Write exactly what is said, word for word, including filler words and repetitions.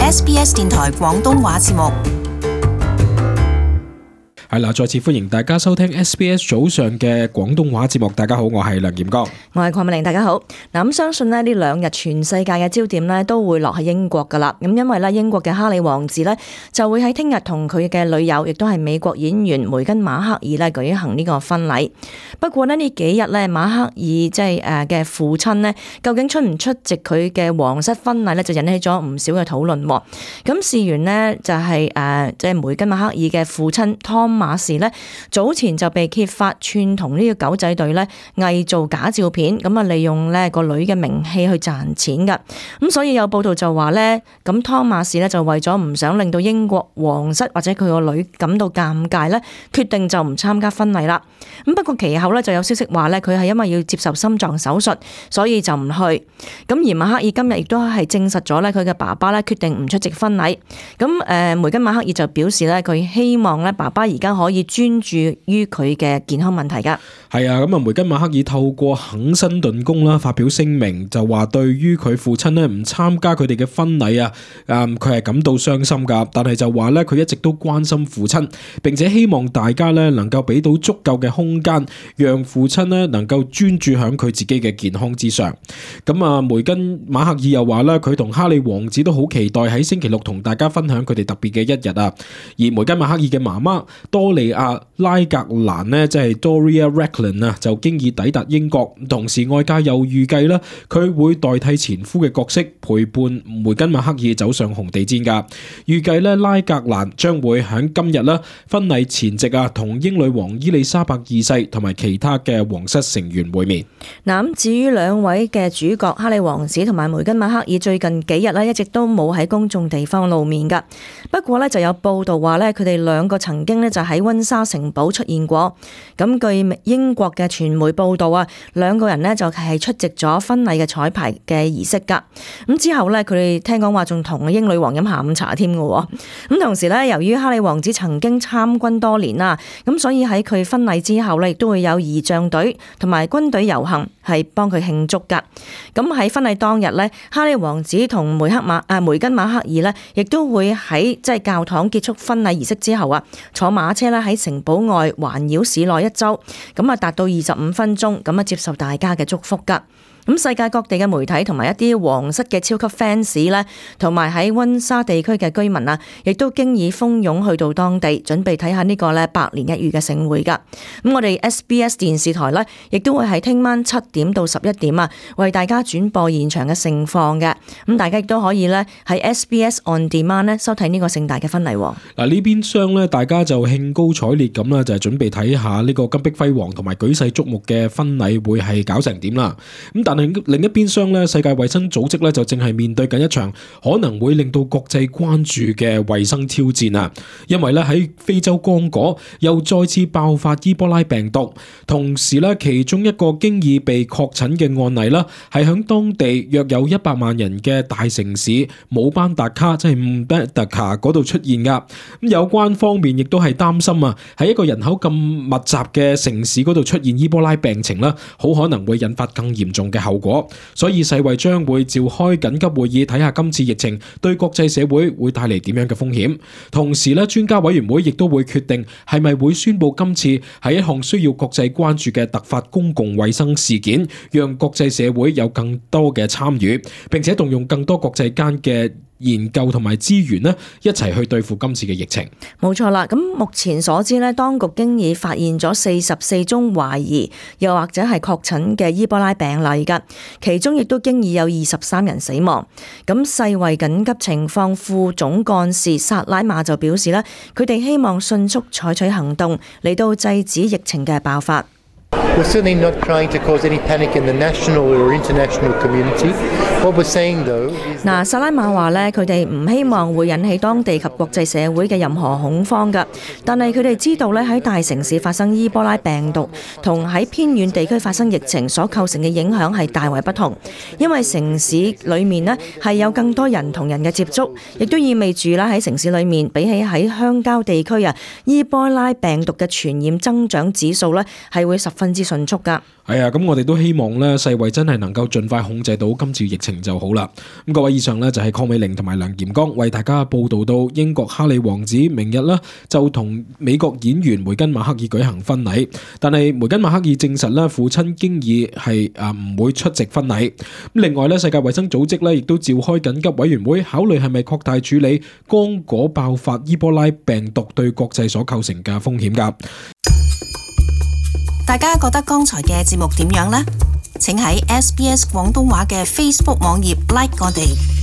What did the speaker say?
S B S 電台廣東話節目。係啦，再次歡迎大家收聽 S B S 早上嘅廣東話節目。大家好，我係梁劍剛，我係鄺美玲。大家好。嗱，咁相信咧呢兩日全世界嘅焦點咧都會落喺英國噶啦。咁因為咧英國嘅哈里王子咧就會喺聽日同佢嘅女友，亦都係美國演員梅根馬克爾咧舉行呢個婚禮。不過咧呢幾日咧馬克爾即係誒嘅父親咧，究竟出唔出席佢嘅皇室婚禮咧，就引起咗唔少嘅討論。咁事緣呢，就係誒即係梅根馬克爾嘅父親湯馬士咧早前就被揭發串同呢個狗仔隊咧偽造假照片，咁啊利用咧個女嘅名氣去賺錢噶。咁所以有報道就話咧，咁湯馬士咧就為咗唔想令到英國皇室或者佢個女感到尷尬咧，決定就唔參加婚禮啦。咁不過其後咧就有消息話咧，佢係因為要接受心臟手術，所以就唔去。咁而馬克爾今日亦都係證實咗咧，佢嘅爸爸咧決定唔出席婚禮。咁誒梅根馬克爾就表示咧，佢希望咧爸爸而家可以專注於佢嘅健康問題噶。係啊，咁啊梅根馬克爾透過肯辛頓宮啦發表聲明，就話對於佢父親咧唔參加佢哋嘅婚禮啊，誒佢係感到傷心噶，但係就話咧佢一直都關心父親，並且希望大家咧能夠俾到足夠嘅空間，讓父親咧能夠專注響佢自己嘅健康之上。咁啊梅根馬克爾又話咧，佢同哈里王子都好期待喺星期六同大家分享佢哋特別嘅一日啊。而梅根馬克爾嘅媽媽多利亞拉格蘭呢，即係 Doria Ragland 啊，就經已抵達英國。同時外界又預計啦，佢會代替前夫嘅角色，陪伴梅根馬克爾走上紅地毯噶。預計咧拉格蘭將會喺今日啦婚禮前夕啊，同英女王伊麗莎白二世同埋其他嘅皇室成員會面。嗱，咁至於兩位嘅主角哈里王子同埋梅根馬克爾最近幾日咧一直都冇喺公眾地方露面噶。不過咧就有報道話咧，佢哋兩個曾經咧就喺溫莎城堡出現過。咁據英國嘅傳媒報道啊，兩個人呢就係出席咗婚禮嘅彩排嘅儀式噶。咁之後呢，佢哋聽講話仲同英女王飲下午茶添嘅。咁同時呢，由於哈里王子曾經參軍多年啦，咁所以喺佢婚禮之後呢，亦都會有儀仗隊同埋軍隊遊行，係幫佢慶祝噶。咁喺婚禮當日呢，哈里王子同梅克馬啊梅根馬克爾呢，亦都會喺即係教堂結束婚禮儀式之後啊，坐馬車咧喺城堡外環繞市內一周，咁啊達到二十五分鐘，咁啊接受大家嘅祝福噶。咁世界各地嘅媒體同埋一啲皇室嘅超級 fans 咧，同埋喺溫莎地區嘅居民啊，亦都經已蜂擁去到當地，準備睇下呢個咧百年一遇嘅盛會噶。咁我哋 S B S 電視台咧，亦都會喺聽晚七點到十一點啊，為大家轉播現場嘅盛況嘅。咁大家亦都可以咧喺 S B S On Demand 咧收睇呢個盛大嘅婚禮。嗱呢邊廂咧，大家就興高采烈咁啦，就係準備睇下呢個金碧輝煌同埋舉世矚目嘅婚禮會係搞成點啦。咁但另一邊廂咧，世界衛生組織咧就正係面對緊一場可能會令到國際關注嘅衛生挑戰啊！因為咧喺非洲剛果又再次爆發伊波拉病毒，同時咧其中一個經已被確診嘅案例啦，係響當地約有一百萬人嘅大城市姆班達卡，即係姆巴達卡嗰度出現噶。咁有關方面亦都係擔心啊，喺一個人口咁密集嘅城市嗰度出現伊波拉病情啦，好可能會引發更嚴重嘅後果。所以世衛將會召開緊急會議，睇下今次疫情對國際社會會帶嚟點樣嘅風險。同時咧，專家委員會亦都會決定係咪會宣布今次係一項需要國際關注嘅突發公共衛生事件，讓國際社會有更多嘅參與，並且動用更多國際間嘅研究同埋資源呢，一齊去對付今次嘅疫情。冇錯啦，咁目前所知呢，當局經已發現咗四十四宗懷疑又或者係確診嘅伊波拉病例噶，其中亦都經已有二十三人死亡。咁世衛緊急情況副總幹事薩拉馬就表示呢，佢哋希望迅速採取行動嚟到制止疫情嘅爆發。We're certainly not trying to cause any panic in the national or international community. What we're saying though is 嗱，薩拉馬話咧，佢哋唔希望會引起當地及國際社會嘅任何恐慌㗎。但係佢哋知道咧，喺大城市發生伊波拉病毒同喺偏遠地區發生疫情所構成嘅影響係大為不同，因為城市裡面咧係有更多人同人嘅接觸，亦都意味住啦喺城市裡面比起喺鄉郊地區啊，伊波拉病毒嘅傳染增長指數咧係會十分之迅速㗎。係啊，咁我哋都希望咧，世衛真係能夠盡快控制到今次疫情就好啦。咁各位，以上呢就係鄺美玲同埋梁劍剛為大家報道到英國哈利王子明日呢就同美國演員梅根馬克爾舉行婚禮，但係梅根馬克爾證實咧父親經已係啊唔會出席婚禮。咁另外咧，世界衛生組織咧亦都召開緊急委員會，考慮係咪擴大處理剛果爆發伊波拉病毒對國際所構成嘅風險噶。大家覺得剛才嘅節目點樣呢？請喺 S B S 廣東話嘅 Facebook 網頁 like 我哋。